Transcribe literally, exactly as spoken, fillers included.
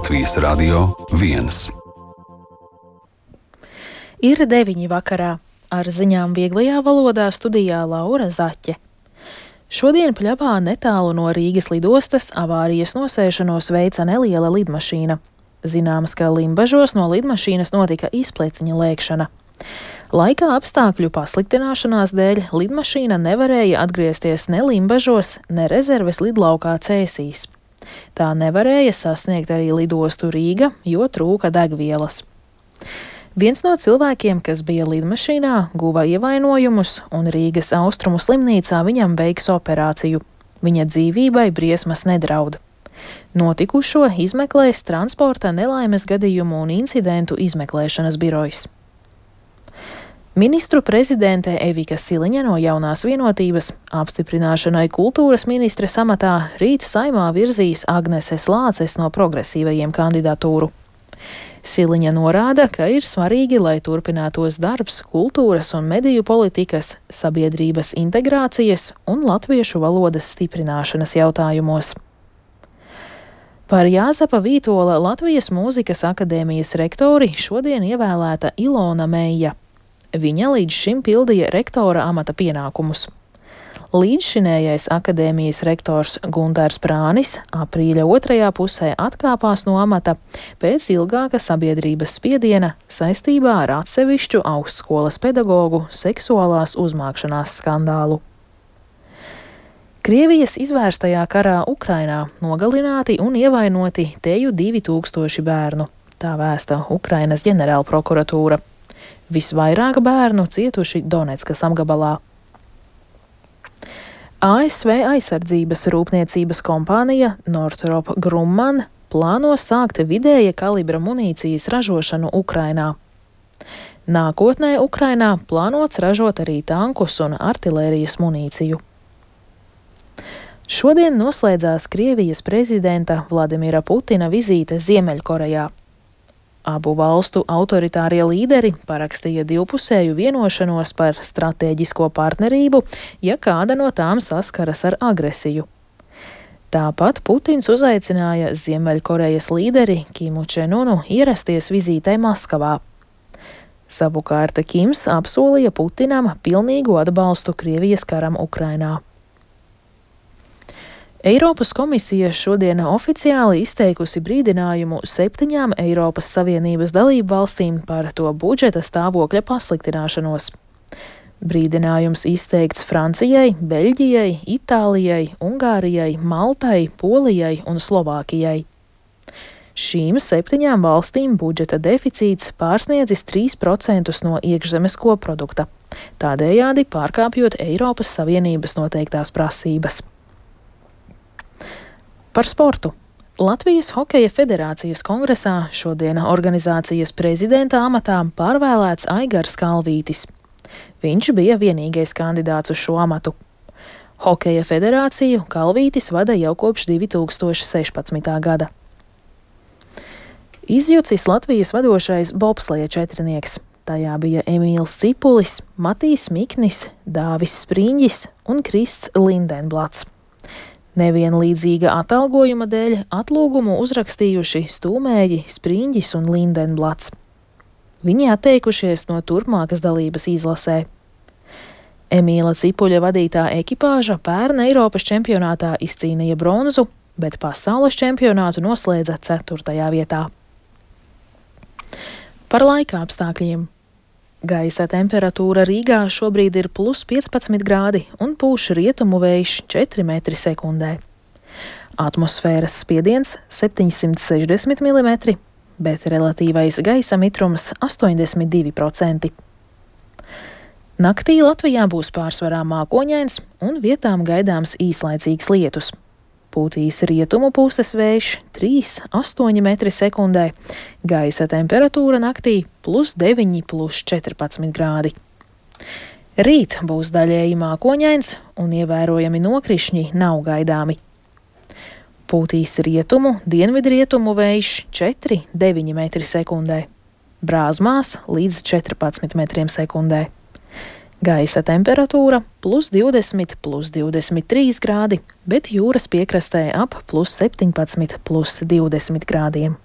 Latvijas Radio viens. Ir deviņi vakarā. Ar ziņām vieglajā valodā studijā Laura Zaķe. Šodien Pļavā netālu no Rīgas lidostas avārijas nosēšanos veica neliela lidmašīna. Zināms, ka Limbažos no lidmašīnas notika izpletiņa lēkšana. Laika apstākļu pasliktināšanās dēļ lidmašīna nevarēja atgriezties ne Limbažos, ne rezerves lidlaukā Cēsīs. Tā nevarēja sasniegt arī lidostu Rīga, jo trūka degvielas. Viens no cilvēkiem, kas bija lidmašīnā, guva ievainojumus, un Rīgas Austrumu slimnīcā viņam veiks operāciju. Viņa dzīvībai briesmas nedraud. Notikušo izmeklēs transporta nelaimes gadījumu un incidentu izmeklēšanas birojs. Ministru prezidente Evika Siliņa no Jaunās vienotības apstiprināšanai kultūras ministres amatā rīt Saimā virzīs Agneses Lāces no progresīvajiem kandidatūru. Siliņa norāda, ka ir svarīgi, lai turpinātos darbs kultūras un mediju politikas, sabiedrības integrācijas un latviešu valodas stiprināšanas jautājumos. Par Jāzepa Vītola Latvijas Mūzikas akadēmijas rektori šodien ievēlēta Ilona Meija. Viņa līdz šim pildīja rektora amata pienākumus. Līdzšinējais akadēmijas rektors Gundars Prānis aprīļa otrajā pusē atkāpās no amata pēc ilgāka sabiedrības spiediena saistībā ar atsevišķu augstskolas pedagogu seksuālās uzmākšanās skandālu. Krievijas izvērstajā karā Ukrainā nogalināti un ievainoti teju divi tūkstoši bērnu, tā vēsta Ukrainas ģenerālprokuratūra. Visvairāk bērnu cietuši Doneckas apgabalā. A S V aizsardzības rūpniecības kompānija Northrop Grumman plāno sākt vidēja kalibra munīcijas ražošanu Ukrainā. Nākotnē Ukrainā plānots ražot arī tankus un artilērijas munīciju. Šodien noslēdzās Krievijas prezidenta Vladimira Putina vizīte Ziemeļkorejā. Abu valstu autoritārie līderi parakstīja divpusēju vienošanos par stratēģisko partnerību, ja kāda no tām saskaras ar agresiju. Tāpat Putins uzaicināja Ziemeļkorejas līderi Kimu Čenunu ierasties vizītē Maskavā. Savukārt Kims apsolīja Putinam pilnīgu atbalstu Krievijas karam Ukrainā. Eiropas komisija šodien oficiāli izteikusi brīdinājumu septiņām Eiropas Savienības dalību valstīm par to budžeta stāvokļa pasliktināšanos. Brīdinājums izteikts Francijai, Beļģijai, Itālijai, Ungārijai, Maltai, Polijai un Slovākijai. Šīm septiņām valstīm budžeta deficīts pārsniedzis trīs procentus no iekšzemes koprodukta, tādējādi pārkāpjot Eiropas Savienības noteiktās prasības. Par sportu. Latvijas Hokeja federācijas kongresā šodien organizācijas prezidenta amatā pārvēlēts Aigars Kalvītis. Viņš bija vienīgais kandidāts uz šo amatu. Hokeja federāciju Kalvītis vada jau kopš divi tūkstoši sešpadsmitā gada. Izjucis Latvijas vadošais bobsleja četrnieks. Tajā bija Emīls Cipulis, Matīs Miknis, Dāvis Spriņģis un Krists Lindenblats. Nevienlīdzīga atalgojuma dēļ atlūgumu uzrakstījuši Stūmēji, Spriņģis un Lindenblats. Viņi atteikušies no turpmākas dalības izlasē. Emīla Cipuļa vadītā ekipāža pērn Eiropas čempionātā izcīnīja bronzu, bet pasaules čempionātu noslēdza ceturtajā vietā. Par laika apstākļiem. Gaisa temperatūra Rīgā šobrīd ir plus piecpadsmit grādi un pūš rietumu vējš četri metri sekundē. Atmosfēras spiediens septiņsimt sešdesmit milimetri, bet relatīvais gaisa mitrums astoņdesmit divi procenti. Naktī Latvijā būs pārsvarā mākoņains un vietām gaidāms īslaicīgs lietus. Pūtīs rietumu puses vējš trīs līdz astoņi metri sekundē, gaisa temperatūra naktī plus deviņi, plus četrpadsmit grādi. Rīt būs daļēji mākoņains un ievērojami nokrišņi nav gaidāmi. Pūtīs rietumu, dienvidrietumu vējš četri līdz deviņi metri sekundē, Brāzmās līdz četrpadsmit metriem sekundē. Gaisa temperatūra plus divdesmit, plus divdesmit trīs grādi, bet jūras piekrastē ap plus septiņpadsmit, plus divdesmit grādiem.